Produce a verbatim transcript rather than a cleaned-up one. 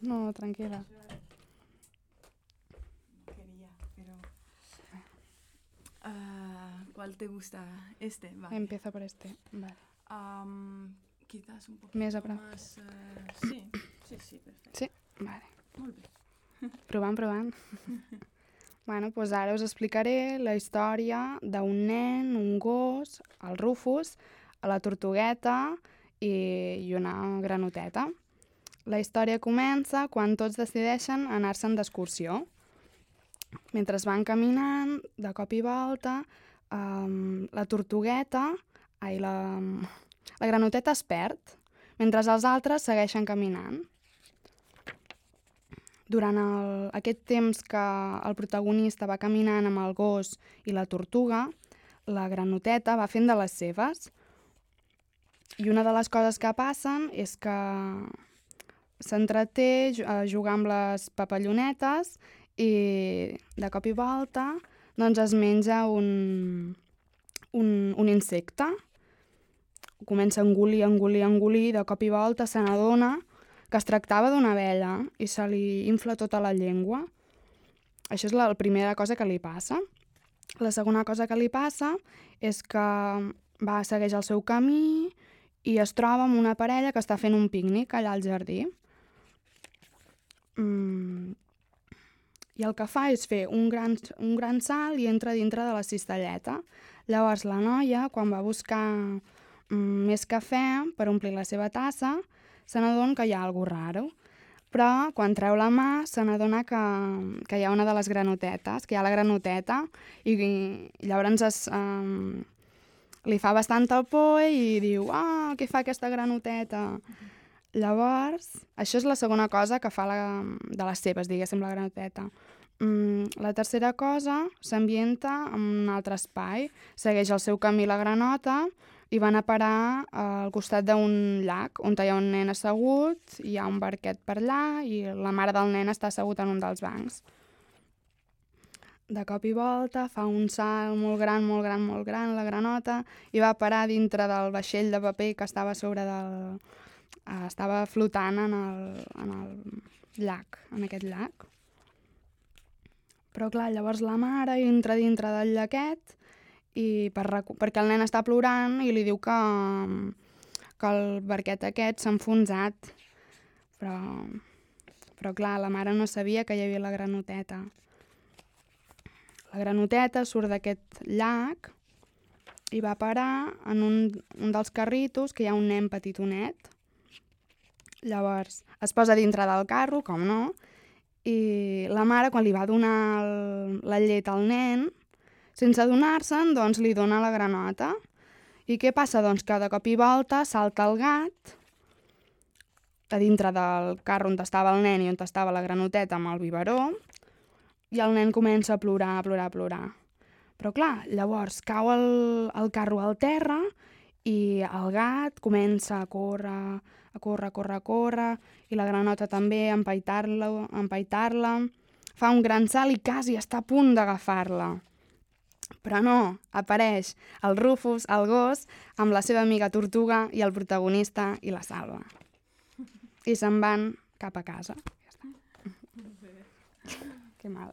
No, tranquila. Quería, pero... Uh, ¿Cuál te gusta? Este, vale. Empiezo por este, vale. Um, quizás un poquito Més a prop. más... Uh, sí, sí, sí, perfecte. Sí? Vale. Molt bé. Provant, provant. Bueno, doncs ara us explicaré la història d'un nen, un gos, el Rufus, la tortugueta i, i una granoteta. La història comença quan tots decideixen anar-se'n d'excursió. Mentre van caminant, de cop i volta, um, la tortugueta, ai, la, la granoteta es perd, mentre els altres segueixen caminant. Durant el, aquest temps que el protagonista va caminant amb el gos i la tortuga, la granoteta va fent de les seves. I una de les coses que passen és que s'entreté a jugar amb les papallonetes i de cop i volta doncs es menja un, un, un insecte. Comença a engolir, engolir, engolir, de cop i volta se n'adona que es tractava d'una abella i se li infla tota la llengua. Això és la, la primera cosa que li passa. La segona cosa que li passa és que va segueix el seu camí i es troba amb una parella que està fent un pícnic allà al jardí. Mm. I el que fa és fer un gran, un gran salt i entra dintre de la cistelleta. Llavors la noia, quan va buscar mm, més cafè per omplir la seva tassa, se n'adona que hi ha alguna cosa raro. Però quan treu la mà se n'adona que, que hi ha una de les granotetes, que hi ha la granoteta, i, i llavors es, um, li fa bastanta por i diu «Ah, què fa aquesta granoteta?» Mm-hmm. Llavors, això és la segona cosa que fa la, de les seves, diguéssim, la granoteta. Mm, la tercera cosa s'ambienta en un altre espai, segueix el seu camí la granota i van a parar al costat d'un llac on hi ha un nen assegut, hi ha un barquet per allà i la mare del nen està assegut en un dels bancs. De cop i volta fa un salt molt gran, molt gran, molt gran, la granota, i va parar dintre del vaixell de paper que estava a sobre del... Uh, estava flotant en el, en el llac, en aquest llac. Però clar, llavors la mare entra dintre del llaquet i per recu- perquè el nen està plorant i li diu que, que el barquet aquest s'ha enfonsat. Però, però clar, la mare no sabia que hi havia la granoteta. La granoteta surt d'aquest llac i va parar en un, un dels carritos que hi ha un nen petitonet. Llavors es posa dintre del carro, com no, i la mare, quan li va donar el, la llet al nen, sense adonar-se'n, doncs li dona la granota. I què passa? Doncs que de cop i volta salta el gat a dintre del carro on estava el nen i on estava la granoteta amb el biberó, i el nen comença a plorar, a plorar, a plorar. Però clar, llavors cau el, el carro al terra i el gat comença a córrer, a córrer, a córrer, a córrer, i la granota també a empaitar-la, a empaitar-la. Fa un gran salt i quasi està a punt d'agafar-la. Però no, apareix el Rufus, el gos, amb la seva amiga tortuga i el protagonista i la salva. I se'n van cap a casa. Ja està. Que mal.